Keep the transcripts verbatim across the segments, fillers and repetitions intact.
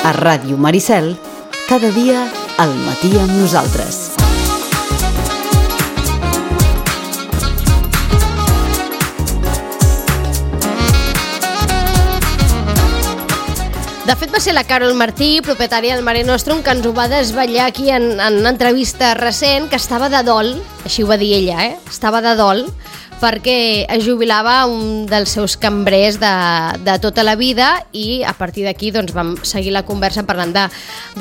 A Ràdio Maricel, cada dia al matí amb nosaltres. De fet, va ser la Carol Martí, propietària del Mare Nostrum, que ens ho va desvetllar aquí en, en una entrevista recent, que estava de dol, així ho va dir ella, eh? Estava de dol, perquè es jubilava un dels seus cambrers de, de tota la vida, i a partir d'aquí doncs, vam seguir la conversa parlant de,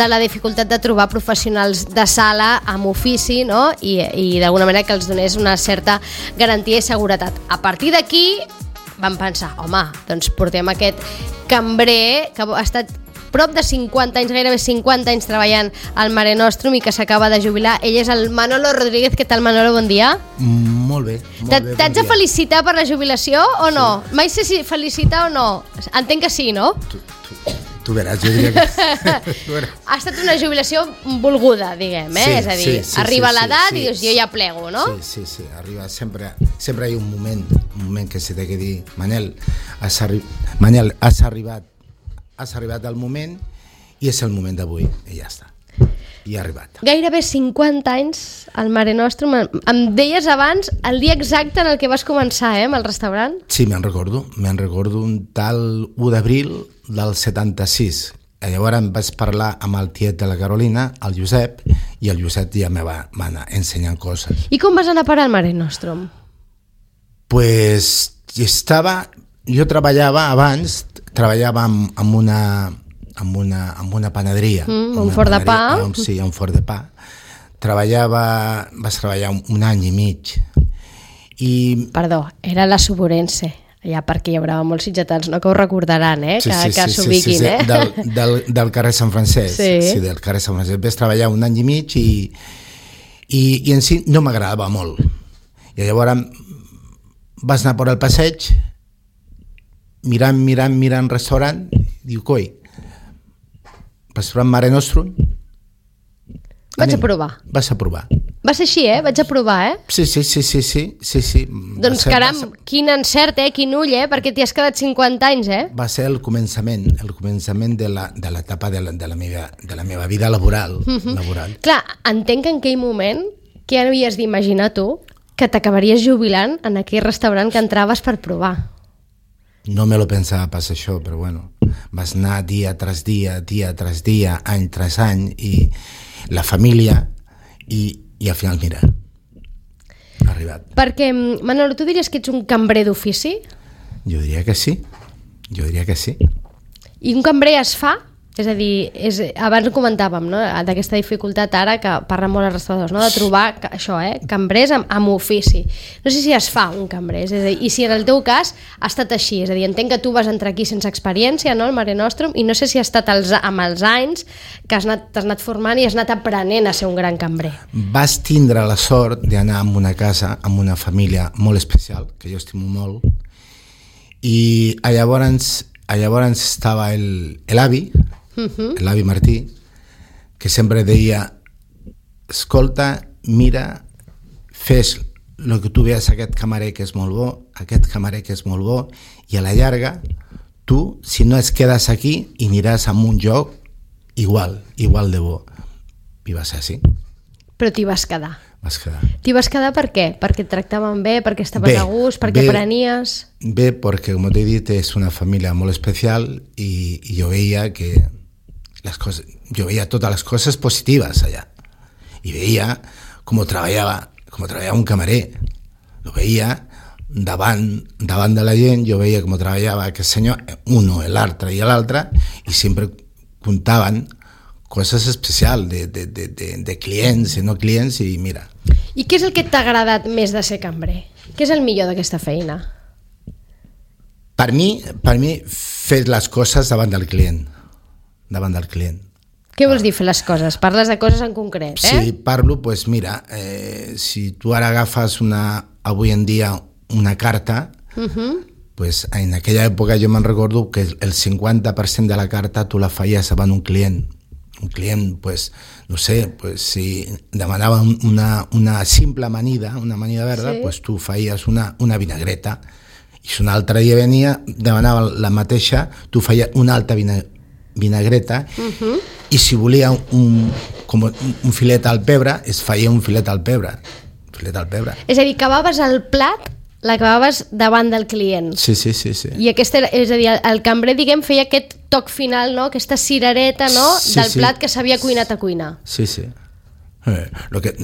de la dificultat de trobar professionals de sala amb ofici, no? I, i d'alguna manera que els donés una certa garantia i seguretat. A partir d'aquí vam pensar, home, doncs portem aquest cambrer que ha estat prop de cinquanta anys, gairebé cinquanta anys treballant al Mare Nostrum i que s'acaba de jubilar. Ell és el Manolo Rodríguez. Què tal, Manolo? Bon dia. Mm, molt bé, molt bé. T'haig de felicitar per la jubilació o no? Sí. Mai sé si felicitar o no. Entenc que sí, no? Tu, tu, tu veràs, jo diria que... tu veràs. Ha estat una jubilació volguda, diguem, eh? Sí, és a dir, sí, sí, arriba sí, l'edat sí, i dius, sí. jo ja plego, no? Sí, sí, sí, arriba sempre, sempre hi ha un moment, un moment que se té que dir, Manel, has, arri... Manel, has arribat, has arribat al moment i és el moment d'avui, i ja està. I ha arribat. Gairebé cinquanta anys al Mare Nostrum. Em deies abans el dia exacte en el que vas començar, eh, amb el restaurant? Sí, me'n recordo. Me'n recordo un tal u d'abril del setanta-sis. Llavors em vaig parlar amb el tiet de la Carolina, el Josep, i el Josep ja me va, va anar ensenyant coses. I com vas anar a parar al Mare Nostrum? Pues estava... Jo treballava abans, treballava amb, amb una... amb una, amb una panaderia. Mm, una un forn de pa. Um, sí, un forn de pa. Treballava, vas treballar un, un any i mig. I... Perdó, era la Suburense, allà perquè hi haurà molts sitgetans, no, que ho recordaran, eh? Sí, que sí, que sí, s'ubiquin, sí, sí, eh? Del, del, del carrer Sant Francesc. Sí. Sí, del carrer Sant Francesc. Vas treballar un any i mig i, i, i en si no m'agradava molt. I llavors vas anar per al passeig, mirant, mirant, mirant restaurant, i diu, coi, vas provar Mare Nostrum? Vaig Anem. a provar. Vas a provar. Va ser així, eh? Vaig a provar, eh? Sí, sí, sí, sí, sí, sí, sí. Doncs ser, caram, va ser, quin encert, eh? Quin ull, eh? Perquè t'hi has quedat cinquanta anys, eh? va ser el començament, el començament de la, de l'etapa de la, de, la meva, de la meva vida laboral. Uh-huh. laboral. Clar, entenc que en aquell moment, què havies d'imaginar tu que t'acabaries jubilant en aquell restaurant que entraves per provar? No me lo pensava pas això, però bueno, vas anar dia tras dia, dia tras dia, any tras any, i la família, i, i al final, mira, ha arribat. Perquè, Manolo, tu diries que ets un cambrer d'ofici? Jo diria que sí, jo diria que sí. I un cambrer es fa? És a dir, és, abans ho comentàvem, no?, d'aquesta dificultat ara que parlen molt els restauradors, no?, de trobar això, eh, cambrers amb, amb ofici. No sé si es fa un cambrer, és a dir, i si en el teu cas ha estat així, és a dir, entenc que tu vas entrar aquí sense experiència, no?, al Mare Nostrum, i no sé si ha estat els, amb els anys que has anat, t'has anat formant i has anat aprenent a ser un gran cambrer. Vas tindre la sort d'anar a una casa, amb una família molt especial, que jo estimo molt, i llavors, llavors estava el, l'avi, Uh-huh. l'avi Martí, que sempre deia, escolta, mira, fes el que tu veus aquest camarer que és molt bo, aquest camarer que és molt bo, i a la llarga tu, si no es quedes aquí, i aniràs a un lloc igual, igual de bo. I va ser així. Però t'hi vas quedar. Vas quedar. T'hi vas quedar per què? Perquè et tractaven bé, perquè estaves bé, a gust, perquè bé, aprenies... Bé, perquè, com t'he dit, és una família molt especial i, i jo veia que les coses, jo veia totes les coses positives allà. I veia com treballava, com treballava un camarer. Lo veia davant, davant de la gent, jo veia com treballava aquest senyor, uno, l'altre i l'altre, i sempre contaven coses especials de, de, de, de, de clients i no clients, i mira. I què és el que t'ha agradat més de ser cambrer? Què és el millor d'aquesta feina? Per mi, per mi, fer les coses davant del client. davant del client. Què vols dir fer les coses? Parles de coses en concret, eh? Sí, parlo, pues mira, eh, si tu ara agafes una, avui en dia una carta, uh-huh. pues en aquella època jo me'n recordo que el cinquanta per cent de la carta tu la feies davant un client. Un client, pues, no sé, pues, si demanava una, una simple amanida, una amanida verda, sí. pues tu feies una, una vinagreta. I si un altre dia venia, demanava la mateixa, tu feies una altra vinagreta. vinagreta, uh-huh. i si volia un, com un filet al pebre, es feia un filet al pebre. Filet al pebre. És a dir, acabaves el plat, l'acabaves davant del client. Sí, sí, sí. sí. I aquesta era, és a dir, el cambrer, diguem, feia aquest toc final, no? Aquesta cirereta, no? Sí, del sí. plat que s'havia cuinat a cuinar. Sí, sí. Eh, lo que,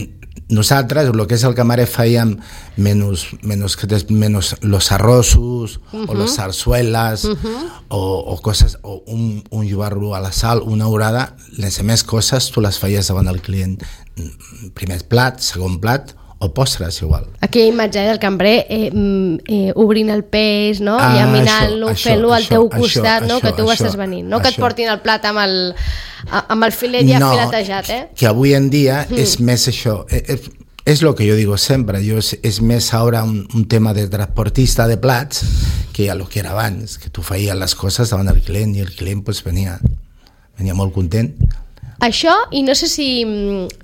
nosaltres, el que és el camarer, fèiem menys, menys, menys los arrossos, uh-huh. o les sarsueles, uh-huh. o, o coses, o un, un llobarro a la sal, una orada, les més coses tu les feies davant del client. Primer plat, segon plat, o postres igual. Aquella imatge del cambrer eh, eh, obrint el peix, no? Ah, llaminant-lo, fent-lo al teu costat, això, no? això, Que tu ho això, estàs venint, no? això. Que et portin el plat amb el, amb el filet ja no, filetejat, eh? Que avui en dia mm. és més això, és, és el que jo digo sempre, jo és, és més ara un, un tema de transportista de plats que a lo que era abans, que tu feies les coses davant del client i el client pues, venia, venia molt content. Això, i no sé si,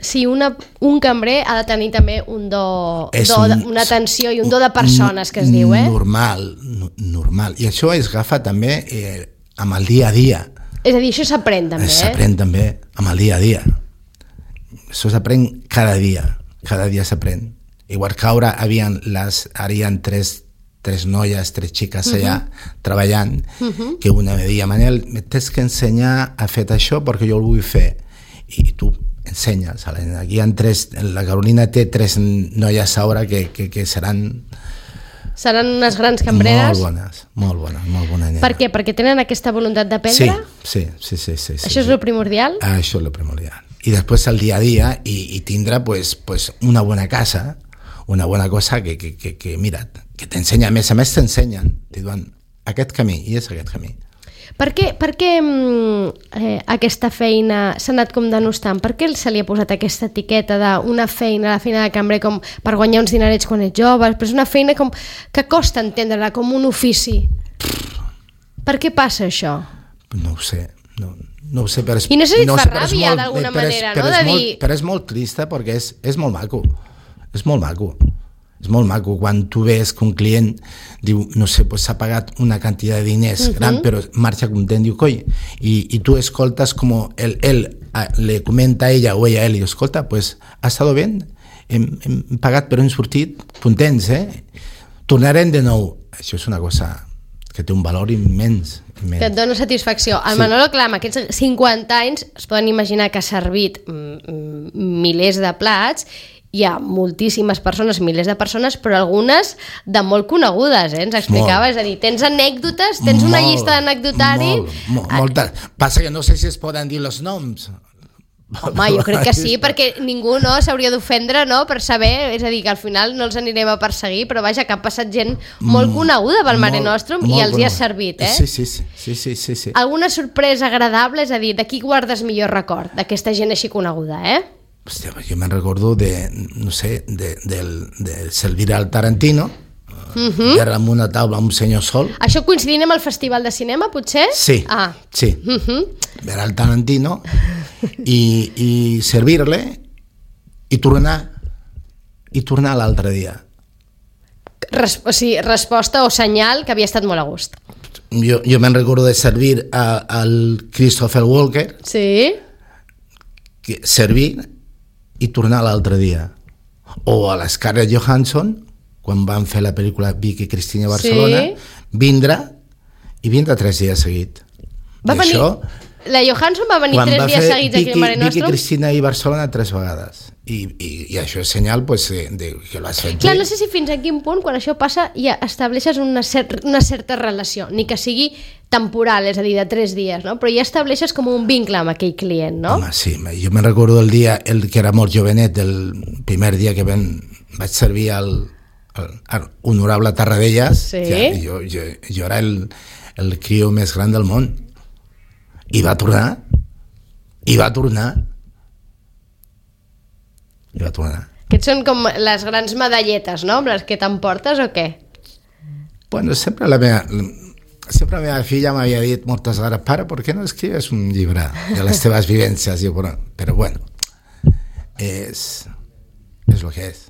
si una, un cambrer ha de tenir també un do, do un, una atenció i un do de persones, que es diu, eh? Normal, normal. I això es agafa també eh, amb el dia a dia. És a dir, això s'aprèn també, eh? S'aprèn també amb el dia a dia. Això s'aprèn cada dia, cada dia s'aprèn. Igual que ara havien les, ara hi ha tres, tres noies, tres xiques allà uh-huh. treballant, uh-huh. que una me deia, Manel, me tens que ensenyar a fer això perquè jo el vull fer. I tu ensenyes. Aquí hi ha tres, la Carolina té tres noies ara que, que, que seran... Seran unes grans cambreres? Molt bones, molt bones, molt bona nena. Per què? Perquè tenen aquesta voluntat d'aprendre? Sí, sí, sí, sí, sí. Això sí, és sí. el primordial? Això és el primordial. I després el dia a dia i, i tindrà pues, pues una bona casa, una bona cosa que, que, que, que mira, que t'ensenya, a més a més t'ensenyen, t'hi diuen aquest camí i és aquest camí. Per què, per què eh, aquesta feina s'ha anat com denostant? Per què se li ha posat aquesta etiqueta d'una feina, la feina de cambrer, com per guanyar uns dinerets quan ets jove, però és una feina com, que costa entendre-la com un ofici? Per què passa això? No ho sé, no, no ho sé, però és, I no sé si et no fa sé, ràbia d'alguna manera, però no? És De molt, dir... Però és molt trista perquè és, és molt maco, és molt maco. És molt maco quan tu ves que un client diu, no sé, pues s'ha pagat una quantitat de diners uh-huh. gran, però marxa content, diu, coi, i, i tu escoltes com él, él le comenta a ella o ella a él, i escolta, pues ha estado bien, hem, hem pagat però hem sortit contents, eh? Tornarem de nou. Això és una cosa que té un valor immens. immens. Que et dona satisfacció. El Sí. Manolo, clar, amb aquests cinquanta anys es poden imaginar que ha servit mm, milers de plats. Hi ha moltíssimes persones, milers de persones, però algunes de molt conegudes, eh? Ens explicava, molt. És a dir, tens anècdotes, tens una molt, llista d'anecdotari... Molt, molt, moltes. Passa que no sé si es poden dir els noms. Home, jo crec que sí, perquè ningú no s'hauria d'ofendre, no?, per saber, és a dir, que al final no els anirem a perseguir, però vaja, que ha passat gent molt coneguda pel Mare Nostrum i els hi ha servit, eh? Sí, sí, sí, sí, sí, sí, sí. Alguna sorpresa agradable, és a dir, de qui guardes millor record, d'aquesta gent així coneguda, eh? Hòstia, jo me'n recordo de, no sé, de, de, de servir al Tarantino, uh-huh. era amb una taula amb un senyor sol. Això coincidint amb el Festival de Cinema, potser? Sí, ah. sí. Uh-huh. Era al Tarantino i, i servir-le i tornar, i tornar l'altre dia. Res, o sigui, resposta o senyal que havia estat molt a gust. Jo, jo me'n recordo de servir a, al Christopher Walker, Sí? que servir i tornar l'altre dia. O a la Scarlett Johansson, quan van fer la pel·lícula Vicky Cristina a Barcelona, Sí. vindre i vindre tres dies seguit. Va I venir, això, la Johansson va venir quan tres va dies fer seguits aquí Vicky, al Mare Vicky Nostrum. Cristina i Barcelona tres vegades. I, i, i això és senyal pues, de, de, que l'has fet Clar, bé. no sé si fins a quin punt, quan això passa, ja estableixes una, cer una certa relació, ni que sigui temporal, és a dir, de tres dies, no? Però ja estableixes com un vincle amb aquell client, no? Home, sí, jo me'n recordo el dia, el que era molt jovenet, el primer dia que ven, vaig servir al, al, al honorable Tarradellas, Sí. ja, jo, jo, jo era el, el crió més gran del món. I va tornar, i va tornar, i va tornar. Aquests són com les grans medalletes, no? Amb les que t'emportes o què? Bueno, sempre la meva, sempre la meva filla m'havia dit moltes vegades, pare, ¿por qué no escribes un llibre de les teves vivències? I, bueno, però bueno, és, és el que és.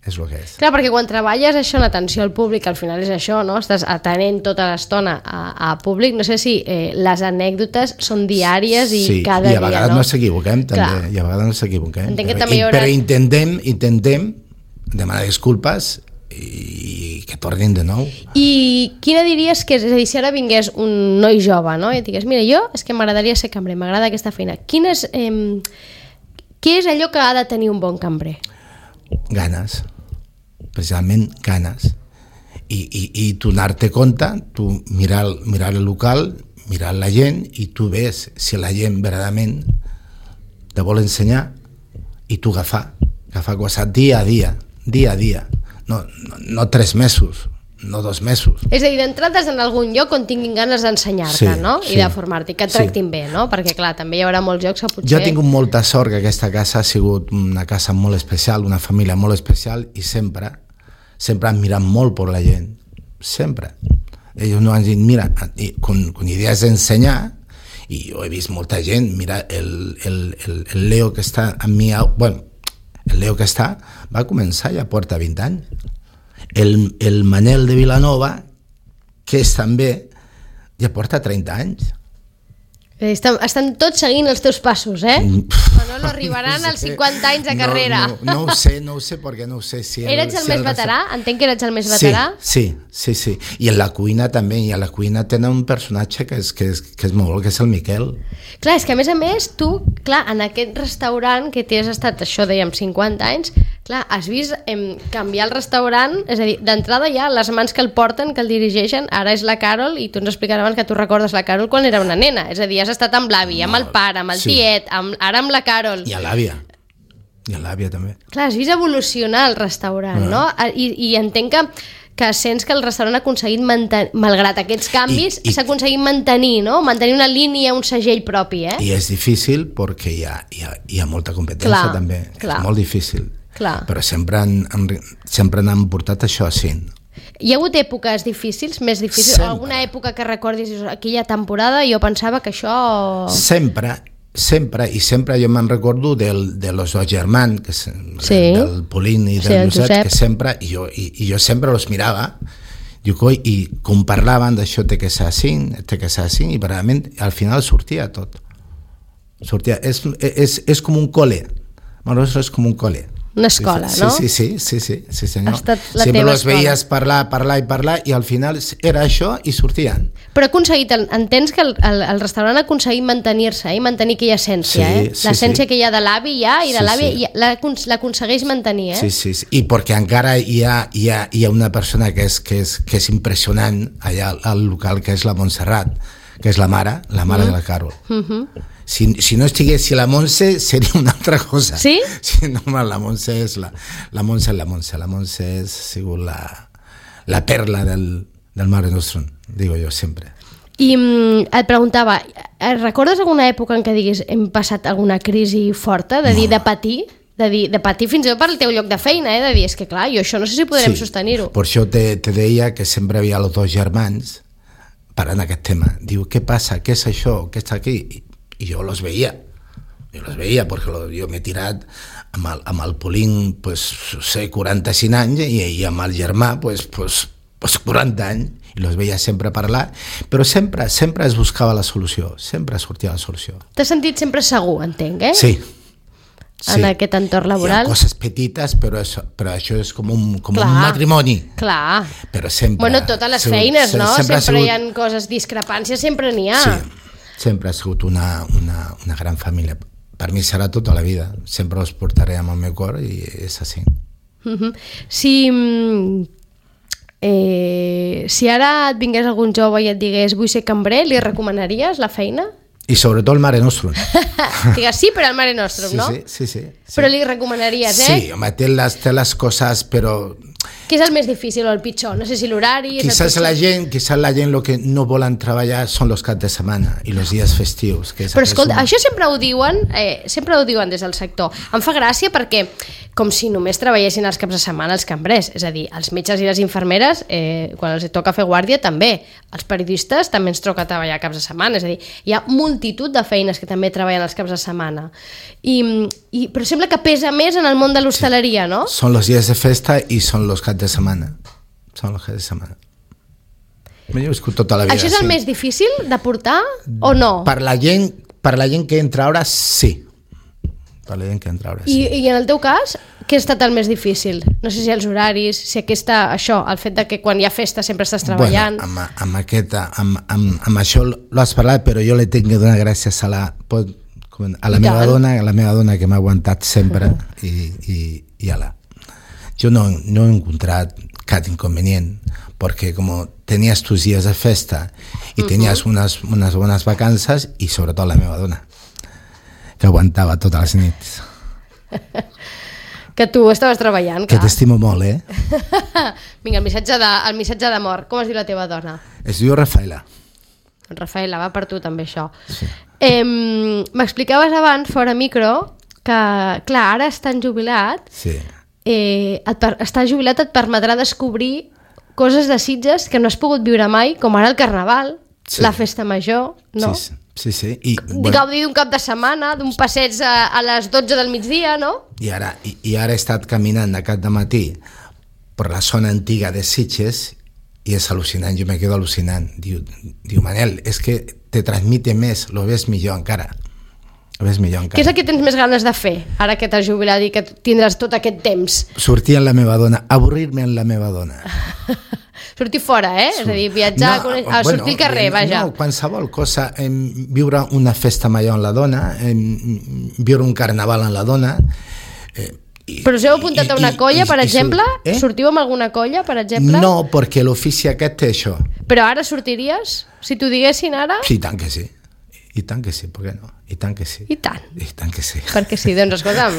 és el que és. Clar, perquè quan treballes això en atenció al públic, al final és això, no? Estàs atenent tota l'estona a, a públic. No sé si eh, les anècdotes són diàries i sí, cada dia, no? Sí, i a vegades no, no s'equivoquem, també. Clar. I a vegades no s'equivoquem. Entenc que però, també hi haurà... però intentem, intentem demanar disculpes i que tornin de nou. I quina diries que és? És a dir, si ara vingués un noi jove, no? I et digués, mira, jo és que m'agradaria ser cambrer, m'agrada aquesta feina. Quin és, eh, què és allò que ha de tenir un bon cambrer? Ganes. Precisament ganes. I, i, i tu anar-te compte, tu mirar, mirar el local, mirar la gent, i tu ves si la gent verdaderament te vol ensenyar i tu agafar, agafar coses dia a dia, dia a dia, no, no, no tres mesos, no dos mesos. És a dir, d'entrades en algun lloc on tinguin ganes d'ensenyar-te, sí, no? I sí, de formar-te, que et tractin sí. bé, no? Perquè, clar, també hi haurà molts llocs que potser... Jo he tingut molta sort que aquesta casa ha sigut una casa molt especial, una família molt especial, i sempre, sempre han mirat molt per la gent, sempre. Ells no han dit, mira, con, con idees d'ensenyar, i jo he vist molta gent, mira, el, el, el, el Leo que està amb mi, bueno, el Leo que està, va començar ja porta vint anys. El, el Manel de Vilanova, que és també, ja porta trenta anys. Estan, estan tots seguint els teus passos, eh? Manolo, arribaran no als cinquanta anys de carrera. No, no, no ho sé, no ho sé, perquè no ho sé si... El, Eres el si més el veterà? Entenc que eres el més sí, veterà? Sí, sí, sí. I en la cuina també, i a la cuina tenen un personatge que és, que és, que és molt bo, que és el Miquel. Clar, és que a més a més, tu, clar, en aquest restaurant que t'hi has estat, això dèiem, cinquanta anys, clar, has vist em, canviar el restaurant, és a dir, d'entrada ja les mans que el porten, que el dirigeixen, ara és la Carol, i tu ens explicaràs abans que tu recordes la Carol quan era una nena, és a dir, has estat amb l'avi, amb el pare, amb el sí. tiet, amb, ara amb la Carol. I a l'àvia. I a l'àvia també. Clar, has vist evolucionar el restaurant, ah. no? I, I entenc que, que sents que el restaurant ha aconseguit mantenir, malgrat aquests canvis, s'ha aconseguit mantenir, no? Mantenir una línia, un segell propi, eh? I és difícil perquè hi ha, hi ha, hi ha molta competència clar, també. Clar. És molt difícil. Clar. Però sempre han, han, sempre han portat això així. Hi ha hagut èpoques difícils, més difícils? Sempre. Alguna època que recordis aquella temporada jo pensava que això... Sempre, sempre, i sempre jo me'n recordo del, de los dos germans, que és, sí. del Polín i del sí, Josep, Josep, que sempre, i jo, i, i jo sempre los mirava, diu, coi, i com parlaven d'això té que ser així, té que ser així, i realment al final sortia tot. Sortia, és, és, és com un col·le, Maroso és com un col·le. Una escola, sí, no? Sí, sí, sí, sí, sí senyor. Ha estat la Sempre teva els escola. veies parlar, parlar i parlar, i al final era això i sortien. Però ha aconseguit, entens que el, el, el restaurant ha aconseguit mantenir-se eh? I mantenir aquella essència, sí, eh? Sí, l'essència sí. que hi ha de l'avi ja, i de sí, l'avi sí. l'aconsegueix mantenir, eh? Sí, sí, sí, i perquè encara hi ha, hi ha, hi ha una persona que és, que és, que és impressionant allà al local, que és la Montserrat, que és la mare, la mare mm. de la Carol. Mm-hmm. Si, si no estigués la Montse seria una altra cosa. Sí? Sí, no, la Montse és la, la Montse és la Montse, la Montse és sigut la, la perla del, del Mare Nostrum, digo jo sempre. I mm, et preguntava, recordes alguna època en què diguis hem passat alguna crisi forta, de dir, no. de patir? De, dir, de patir fins i tot per el teu lloc de feina, eh? De dir, és que clar, jo això no sé si podrem sí, sostenir-ho. Per això te, te deia que sempre havia els dos germans parlant aquest tema. Diu, què passa? Què és això? Què està aquí? I, i jo los veia. Jo los veia perquè lo, jo m'he tirat amb el, amb el Polín, pues, sé, quaranta-cinc anys, i, i amb el germà, pues, pues, pues quaranta anys, i los veia sempre parlar, però sempre, sempre es buscava la solució, sempre sortia la solució. T'has sentit sempre segur, entenc, eh? Sí. En sí. aquest entorn laboral. Hi ha coses petites, però això, però això és com un, com un matrimoni. Clar. Però sempre... Bueno, totes les feines, sempre, no? Sempre, sempre sigut... hi ha coses, discrepàncies, sempre n'hi ha. Sí, sempre ha sigut una, una, una gran família. Per mi serà tota la vida. Sempre els portaré amb el meu cor i és així. Uh-huh. Si... Eh, si ara et vingués algun jove i et digués vull ser cambrer, li recomanaries la feina? I sobretot el Mare Nostrum. Digues sí, però el Mare Nostrum, sí, no? Sí, sí, sí, sí. Però li recomanaries, eh? Sí, home, té les, té les coses, però Què és el més difícil o el pitjor? No sé si l'horari... Quizás la gent, quizás la gent lo que no volen treballar són els caps de setmana i els dies festius. Que és Però escolta, un... això sempre ho diuen, eh, sempre ho diuen des del sector. Em fa gràcia perquè com si només treballessin els caps de setmana els cambrers, és a dir, els metges i les infermeres, eh, quan els toca fer guàrdia també, els periodistes també ens toca treballar caps de setmana, és a dir, hi ha multitud de feines que també treballen els caps de setmana. I, i, però sembla que pesa més en el món de l'hostaleria, no? Són els dies de festa i són els caps de setmana. Són els caps de setmana. Jo he viscut tota la vida. Això és el sí. més difícil de portar o no? Per la gent, per la gent que entra ara, sí. Per la gent que entra ara, sí. I, I en el teu cas, què ha estat el més difícil? No sé si els horaris, si aquesta, això, el fet de que quan hi ha festa sempre estàs treballant... Bueno, amb, amb, aquesta, amb, amb, amb això l'has parlat, però jo li tinc que donar gràcies a la, a la meva dona, a la meva dona que m'ha aguantat sempre uh-huh. i, i, i a la... Jo no, no he encontrat cap inconvenient, porque como tenías tus días de festa y uh-huh. tenías unas, unas buenas vacances y sobre todo la meva dona, que aguantava totes les nits. Que tu estaves treballant, clar. Que t'estimo molt, eh? Vinga, el missatge de, el missatge d'amor. Com es diu la teva dona? Es diu Rafaela. Rafaela, va per tu també això. Sí. Eh, m'explicaves abans, fora micro, que, clar, ara estan jubilat. Sí. Eh, et per, estar jubilat et permetrà descobrir coses de Sitges que no has pogut viure mai, com ara el Carnaval, sí. la Festa Major, no? Sí, sí, sí. I, bueno, gaudir d'un cap de setmana, d'un passeig a, a les dotze del migdia, no? I ara, i, i ara he estat caminant aquest dematí per la zona antiga de Sitges i és al·lucinant, jo me quedo al·lucinant. Diu, diu Manel, és que te transmite més, lo ves millor encara. Ves millor encara. Què és el que tens més ganes de fer, ara que t'has jubilat i que tindràs tot aquest temps? Sortir amb la meva dona, avorrir-me amb la meva dona. Sortir fora, eh? Surt. És a dir, viatjar, no, a, a bueno, sortir al carrer, vaja. No, qualsevol cosa, eh, viure una festa major amb la dona, eh, viure un carnaval amb la dona... Eh, i, Però us heu apuntat a una i, colla, i, per i, exemple? Eh? Sortiu amb alguna colla, per exemple? No, perquè l'ofici aquest té això. Però ara sortiries? Si t'ho diguessin ara? Sí, tant que sí. I tant que sí, per què no? I tant que sí. I tant. I tant que sí. Perquè sí, doncs escolta'm,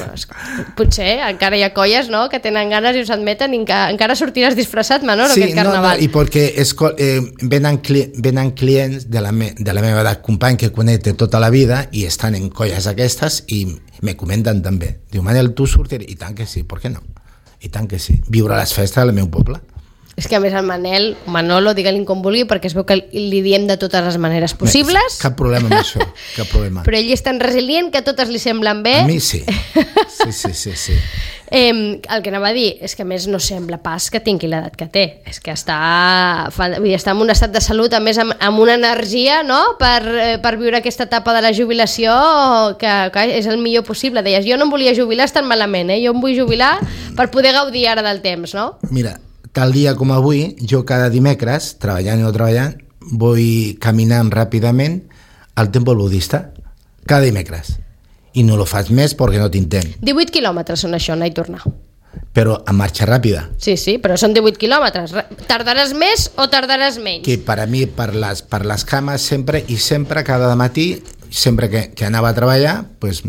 potser encara hi ha colles, no?, que tenen ganes i us admeten i enca, encara sortiràs disfressat, Manolo, sí, aquest carnaval. Sí, no, no, i perquè esco, eh, venen, cli, venen clients de la, me, de la meva edat, company que conec de tota la vida i estan en colles aquestes i me comenten també. Diu, Manel, tu sortiràs? I tant que sí, per què no? I tant que sí. Viure les festes al meu poble. És que a més el Manel, Manolo, digue-li com vulgui, perquè es veu que li diem de totes les maneres possibles. Cap problema amb això, cap problema. Però ell és tan resilient que totes li semblen bé. A mi sí, sí, sí, sí, sí. Eh, el que anava a dir és que a més no sembla pas que tingui l'edat que té, és que està, fa, vull dir, està en un estat de salut, a més amb, amb una energia, no?, per, eh, per viure aquesta etapa de la jubilació que, que és el millor possible. Deies, jo no em volia jubilar estant malament, eh? Jo em vull jubilar per poder gaudir ara del temps, no? Mira, tal dia com avui, jo cada dimecres, treballant o no treballant, vull caminant ràpidament al temple budista, cada dimecres. I no lo fas més perquè no tinc temps. divuit quilòmetres són això, anar i tornar. Però a marxa ràpida. Sí, sí, però són divuit quilòmetres. Tardaràs més o tardaràs menys? Que per a mi, per les, per les cames, sempre i sempre, cada matí, sempre que, que anava a treballar, pues,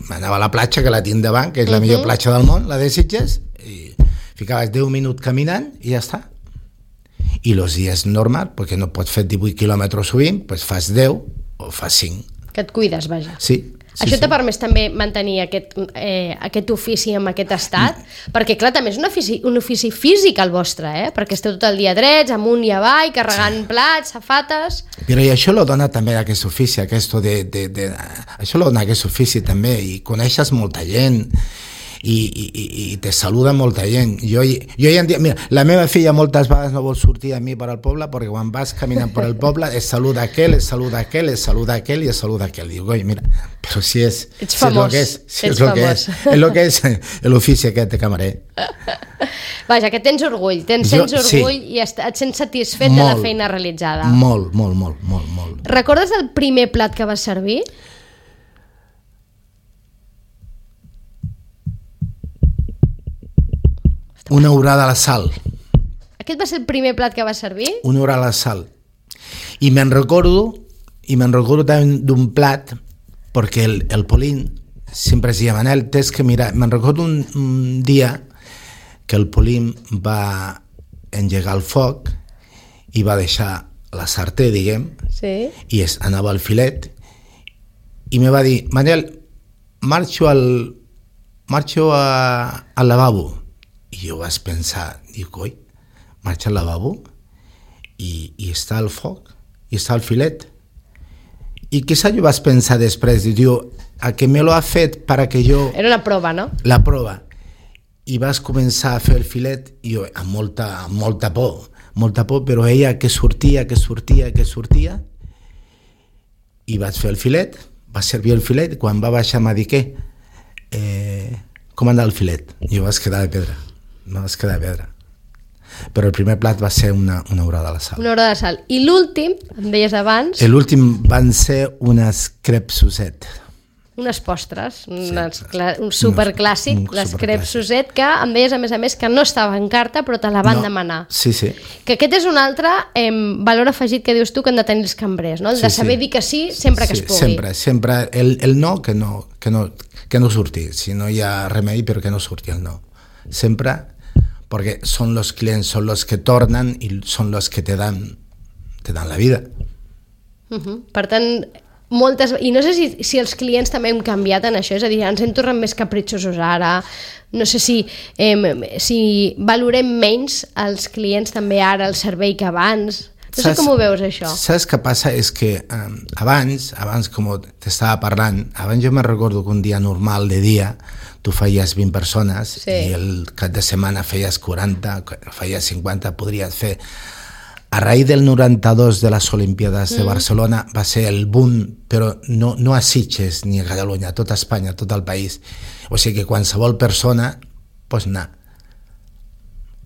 anava a la platja, que la tinc davant, que és la uh-huh. millor platja del món, la de Sitges, i ficaves deu minuts caminant i ja està. I els dies normal, perquè no pots fer divuit quilòmetres sovint, pues fas deu o fas cinc. Que et cuides, vaja. Sí. Sí, Això sí. t'ha permès també mantenir aquest, eh, aquest ofici amb aquest estat? Mm. Perquè, clar, també és un ofici, un ofici físic el vostre, eh? Perquè esteu tot el dia drets, amunt i avall, carregant sí. plats, safates... Però i això lo dona també aquest ofici, aquest de, de, de, això lo dona aquest ofici també, i coneixes molta gent, i, i, i te saluda molta gent. Jo, jo ja en dia, mira, la meva filla moltes vegades no vol sortir a mi per al poble perquè quan vas caminant per el poble es saluda aquell, es saluda aquell, es saluda aquell i es saluda aquell. Diu, oi, mira, però si és... Ets si famós. És el que és, si Ets és el que famós. és, és el que és l'ofici aquest de camarer. Vaja, que tens orgull, tens jo, sents orgull sí. i et sents satisfet molt, de la feina realitzada. Molt, molt, molt, molt, molt. Recordes el primer plat que vas servir? Una orada a la sal. Aquest va ser el primer plat que va servir? Una orada a la sal. I me'n recordo, i me'n recordo també d'un plat, perquè el, el Polín sempre es deia, Manel, tens que mirar. Me'n recordo un, un dia que el Polim va engegar el foc i va deixar la sartè, diguem, Sí. i es, anava al filet, i me va dir, Manel, marxo al, marxo a, al lavabo. I jo vaig pensar, dic, oi, marxa al lavabo i, i està al foc, i està al filet. I quizá jo vaig pensar després, diu, a que me lo ha fet para que jo... Era una prova, no? La prova. I vas començar a fer el filet, i jo, amb molta, amb molta por, molta por, però ella que sortia, que sortia, que sortia, i vaig fer el filet, va servir el filet, quan va baixar m'ha dit, què? Eh, com anda el filet? I jo vaig quedar de pedra, no vaig quedar de pedra. Però el primer plat va ser una, una orada de sal. Una orada de sal. I l'últim, em deies abans... L'últim van ser unes crepes Suzette. Unes postres, Sí, unes, un superclàssic, un les superclàssic. crepes Suzette, que em deies a més a més que no estava en carta però te la van No, demanar. Sí, sí. Que aquest és un altre eh, valor afegit que dius tu que han de tenir els cambrers, no? El de Sí, saber sí. dir que sí sempre que Sí, es pugui. Sempre, sempre. El, el no, que no, que no, que no surti. Si no hi ha remei, però que no surti el no. Sempre, perquè són els clients, són els que tornen i són els que te dan, te dan la vida. Uh -huh. Per tant, moltes... I no sé si, si els clients també hem canviat en això, és a dir, ens hem tornat més capritxosos ara, no sé si, eh, si valorem menys els clients també ara, el servei que abans... No sé com ho veus, això. Saps què passa? És que um, abans, abans com t'estava parlant, abans jo me recordo que un dia normal de dia tu feies vint persones Sí. i el cap de setmana feies quaranta, feies cinquanta, podries fer. A raïs del noranta-dos de les Olimpiades de Barcelona va ser el boom, però no, no a Sitges ni a Catalunya, a tot Espanya, a tot el país. O sigui que qualsevol persona pots anar.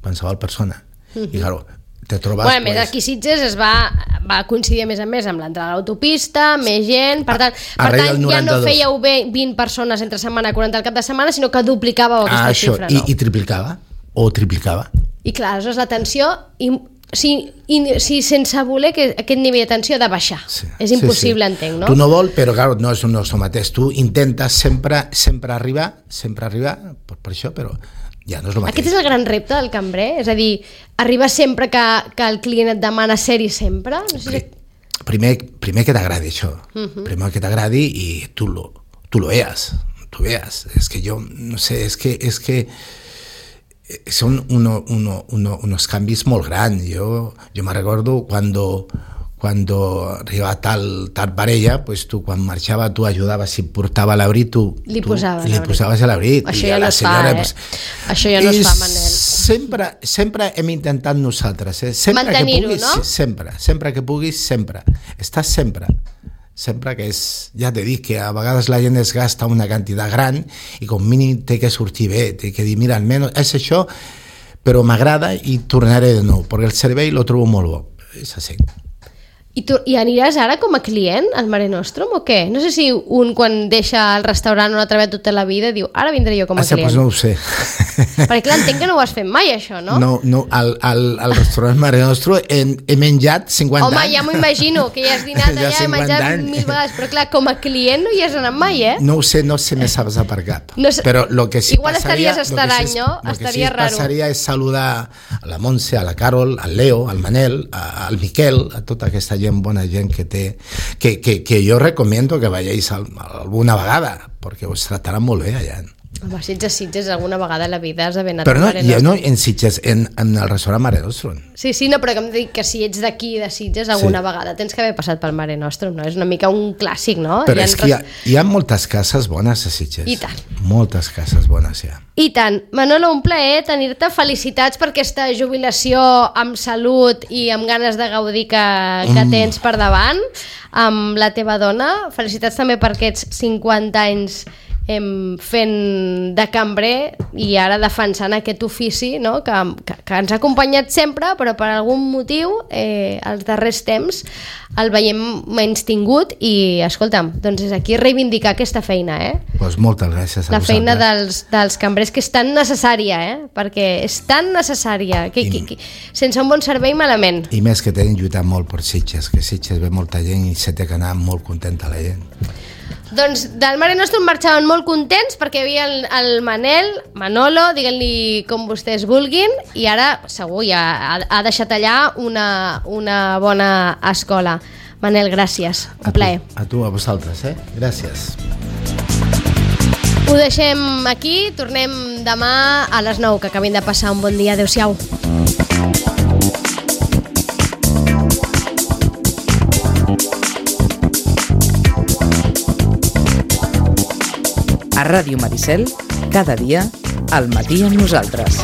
Qualsevol persona. I claro, te trobes... Bueno, a més, pues, aquí Sitges es va, va coincidir a més a més amb l'entrada a l'autopista, més gent, per tant, A- a per raïs tant del ja no noranta-dos. fèieu bé vint persones entre setmana, quaranta al cap de setmana, sinó que duplicàveu aquesta ah, això, xifra, i, no? i triplicava, o triplicava. I clar, aleshores la tensió, i, si, i, si sense voler que aquest nivell de tensió ha de baixar. Sí, És sí, impossible, sí. entenc, no? Tu no vol, però clar, no és un nostre mateix. Tu intentes sempre, sempre arribar, sempre arribar, per, per això, però ja no és el mateix. Aquest és el gran repte del cambrer? És a dir, arribar sempre que, que el client et demana ser-hi sempre? No sé si... Primer, primer que t'agradi això, uh Mhm. -huh. primer que t'agradi i tu lo, tu lo veas, tu veas. És que jo, no sé, és que, és que són uno, uno, uno, unos canvis molt grans. Jo, jo me recordo cuando, cuando arribava tal, tal parella, pues tu quan marxava tu ajudaves i portava l'abrit, tu, Li tu posaves li l'abrit. posaves l'abrit. Això I ja a no la es fa, senyora, eh? pues, Això ja no es i fa, Manel. Sempre, sempre hem intentat nosaltres, eh? sempre que Mantenir-ho, puguis, no? sí, sempre, sempre que puguis, sempre. Estàs sempre. Sempre que és, ja t'he dit que a vegades la gent es gasta una quantitat gran i com mínim té que sortir bé, té que dir, mira, almenys és això, però m'agrada i tornaré de nou, perquè el servei lo trobo molt bo. És així. I, tu, I aniràs ara com a client al Mare Nostrum o què? No sé si un quan deixa el restaurant on ha treballat tota la vida diu, ara vindré jo com a Ah, client. pues no ho sé. Perquè clar, entenc que no ho has fet mai, això, no? No, no al, al, al restaurant Mare Nostrum he, he menjat cinquanta Home, anys. ja m'ho imagino, que ja has dinat Ja allà, he cinquanta menjat anys. mil vegades, però clar, com a client no hi has anat mai, eh? No ho sé, no se me saps per cap. No sé- Però lo que sí Igual passaria, estaries lo que estrany, sí, no? Lo que Estaria sí raro. passaria és saludar a la Montse, a la Carol, al Leo, al Manel, a, al Miquel, a tota aquesta gent, bona gent que té, que, que, que jo recomiendo que veieu alguna vegada, perquè us trataran molt bé allà. Home, si ets a Sitges, alguna vegada a la vida has d'haver anat Però al no, Mare ja Nostrum. no en Sitges, en, en el restaurant Mare Nostrum. Sí, sí, no, però que em dic que si ets d'aquí, de Sitges, alguna Sí. vegada tens que haver passat pel Mare Nostrum, no? És una mica un clàssic, no? Però Hi ha és que hi ha, res- hi ha moltes cases bones a Sitges. I tant. Moltes cases bones, ja. I tant. Manolo, un plaer tenir-te. Felicitats per aquesta jubilació amb salut i amb ganes de gaudir que, que Mm. tens per davant amb la teva dona. Felicitats també per aquests cinquanta anys em, fent de cambrer i ara defensant aquest ofici, no? que, que, que ens ha acompanyat sempre, però per algun motiu eh, els darrers temps el veiem menys tingut i, escolta'm, doncs és aquí reivindicar aquesta feina, eh? Pues moltes gràcies a La feina vosaltres. dels, dels cambrers, que és tan necessària, eh? Perquè és tan necessària que, que, que sense un bon servei malament. I més que tenen lluitat molt per Sitges, que Sitges ve molta gent i se té que anar molt contenta la gent. Doncs del Mare Nostrum marxaven molt contents perquè hi havia el, el Manel, Manolo, diguin-li com vostès vulguin, i ara segur ja ha, ha deixat allà una, una bona escola. Manel, gràcies, un plaer. A tu, a vosaltres, eh? Gràcies. Ho deixem aquí, tornem demà a les nou, que acabin de passar un bon dia. Adéu-siau. A Ràdio Maricel, cada dia, al matí amb nosaltres.